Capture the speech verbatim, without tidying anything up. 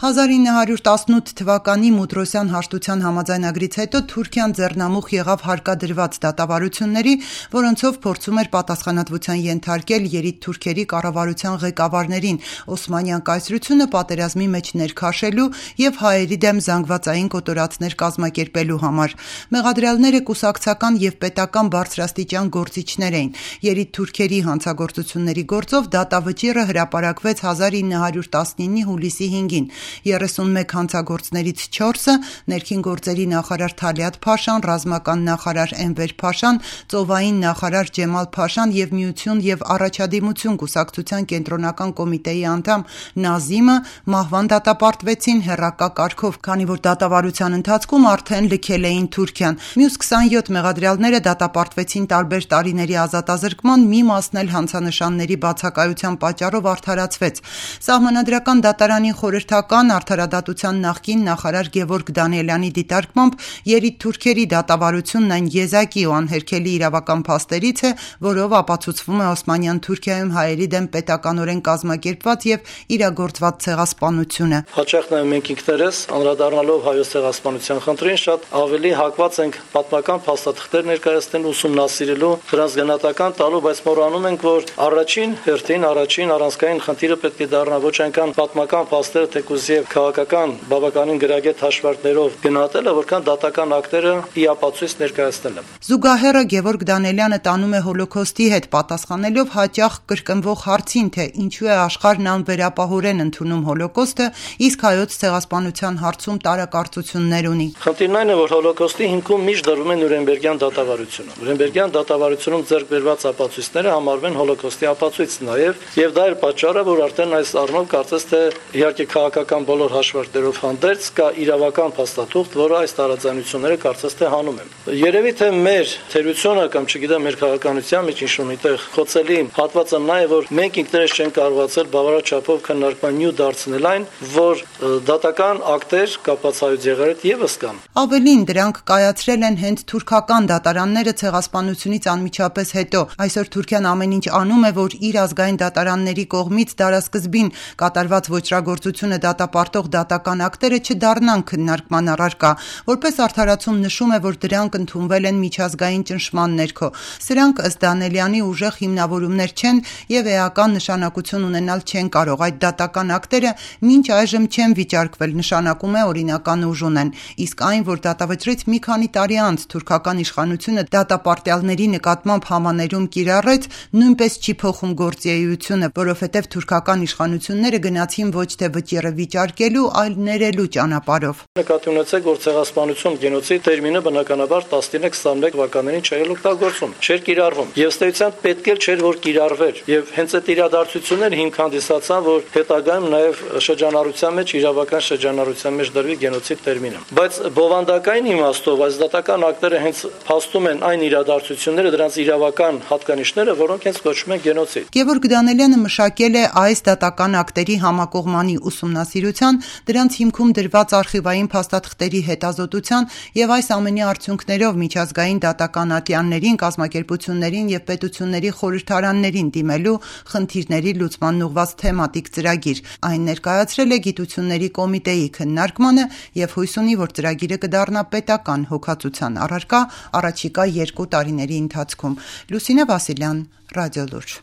հազար ինը հարյուր տասնութ թվականի Մուտրոսյան հաշտության համաձայնագրից հետո Թուրքիան ձեռնամուխ եղավ հարկադրված դատավարությունների, որոնցով փորձում էր պատասխանատվության ենթարկել երիտթուրքերի կառավարության ղեկավարներին Օսմանյան կայսրությունը պատերազմի մեջ ներքաշելու և հայերի դեմ զանգվածային կոտորածներ կազմակերպելու համար։ Մեղադրյալները կուսակցական և պետական բարձրաստիճան գործիչներ էին։ Երիտթուրքերի հանցագործությունների գործով դատավճիռը հրապարակվեց հազար ինը հարյուր տասնինի հուլիսի հինգին։ երեսունմեկ հանցագործներից չորսը ներքին գործերի նախարար Թալիաթ Փաշան, ռազմական նախարար Էնվեր Փաշան, ծովային նախարար Ջեմալ Փաշան և Միություն և Առաջադիմություն կուսակցության կենտրոնական կոմիտեի անդամ Նազիմը մահվան դատապարտվեցին հեռակա կարգով, քանի որ դատավարության ընթացքում արդեն լքել էին Թուրքիան։ Մյուս քսանյոթ մեղադրյալները դատապարտվեցին տարբեր տարիների ազատազրկման, մի մասն էլ հանցանշանների բացակայության պատճառով արդարացվեց։ Սահմանադրական դատարանի խորհրդական արդարադատության նախկին նախարար Գևորգ Դանիելյանի դիտարկմամբ երիտթուրքերի դատավարությունն այն եզակի ու անհերքելի իրավական փաստերից է, որով ապացուցվում է Օսմանյան Թուրքիայում հայերի դեմ պետականորեն կազմակերպված և իրագործված ցեղասպանությունը։ Հաճախ նաև մենք ինքներս անդրադառնալով հայոց ցեղասպանության խնդրին շատ ավելի հակված ենք պատմական փաստաթղթեր ներկայացնել, ուսումնասիրելու, դրանց գնահատական տալու, բայց մոռանում ենք, որ առաջին հերթին առաջին առանցքային խնդիրը պետք է դառնա ոչ այնքան պատմական փաստերը, թեկուզ եւ քաղաքական բավականին գրագետ հաշվարկներով գնահատելը, որքան դատական ակտերը իապացույց ներկայացնելը։ Զուգահեռը Գևորգ Դանիելյանը տանում է հոլոքոստի հետ պատասխանելով հաճախ կրկնվող հարցին, թե ինչու է աշխարհն անվերապահորեն ընդունում հոլոքոստը, իսկ հայոց ցեղասպանության հարցում տարակարծություններ ունի։ Խնդիրն այն է, որ հոլոքոստի հիմքում միշտ դրվում է Նյուրնբերգյան դատավարությունը։ Նյուրնբերգյան դատավարությունում ձեռք բերված ապացույցները համարվում են հոլոքոստի ապացույց նաև, եւ դա է պատճառը, որ արդեն այս առումով կարծես թե իհարկե քաղաքական բոլոր հաշվարկներով հանդերձ կա իրավական փաստաթուղթ, որը այս տարաձայնությունները կարծես թե հանում է։ Երևի թե մեր թերությունը կամ չգիտեմ մեր քաղաքականության մեջ ինչ-որ միտեղ խոցելի հատվածը նա է, որ մենք ինքներս չենք կարողացել բավարար չափով քննարկման նյութ դարձնել այն, որ դատական ակտեր կապված հայոց եղերդ եւս կան։ Ավելին, դրանք կայացրել են հենց թուրքական դատարանները ցեղասպանությունից անմիջապես հետո։ Այսօր Թուրքիան ամեն ինչ անում է, որ իր ազգային դատարանների կողմից դարասկզբին կատարված ոճրագործությունը դատապարտող դատական ակտերը չդառնան քննարկման առարկա։ Որպես արդարացում նշում է, որ դրանք ընդունվել են միջազգային ճնշման ներքո։ Սրանք ըստ Դանիելյանի ուժեղ հիմնավորումներ չեն և էական նշանակություն ունենալ չեն կարող։ Այդ դատական ակտերը մինչ այժմ չեն վիճարկվել, նշանակում է օրինական ուժ ունեն։ Իսկ այն, որ դատավճռից մի քանի տարի անց թուրքական իշխանությունը դատապարտյալների նկատմամբ համաներում կիրառեց, նույնպես չի փոխում գործի էությունը, որովհետև թուրքական իշխանությունները գնացին ոչ թե վճիռը վիճարկելու, այլ ներելու ճանապարհով։ Նկատի ունեցեք, որ ցեղասպանություն, գենոցիդ տերմինը բնականաբար տասնինը քսանմեկ թվականներին չէր օգտագործում, չէր կիրառվում։ Եվ ստեյցիան պետք էլ չէր, որ կիրառվեր։ Եվ հենց այդ իրադարձությունները հիմք հանդիսացան, որ հետագայում նաև շրջանառության մեջ իրավական շրջանառության մեջ դրվի գենոցիդ տերմինը։ Բայց բովանդակային իմաստով այս դատական ակտերը հենց փաստում են այն իրադարձությունները, դրանց իրավական հատկանիշները, որոնք հենց կոչվում են գենոցիդ։ Գևորգ Դանիելյանը մշակել է այս դատական ակտերի համակողմանի ուսումնասիրության, դրանց հիմքում դրված արխիվային փաստաթղթերի հետազոտության և այս ամենի արդյունքներով միջազգային դատական ատյաններին, կազմակերպություններին և պետությունների խորհրդարաններին դիմելու խնդիրների լուծմանն ուղղված թեմատիկ ծրագիր։ Այն ներկայացրել է Գիտությունների կոմիտեի քննարկմանը և հույս ունի, որ ծրագիրը կդառնա պետական հոգացության առարկա առաջիկա երկու տարիների ընթացքում։ Լուսինե Վասիլյան, Ռադիոլուրջ։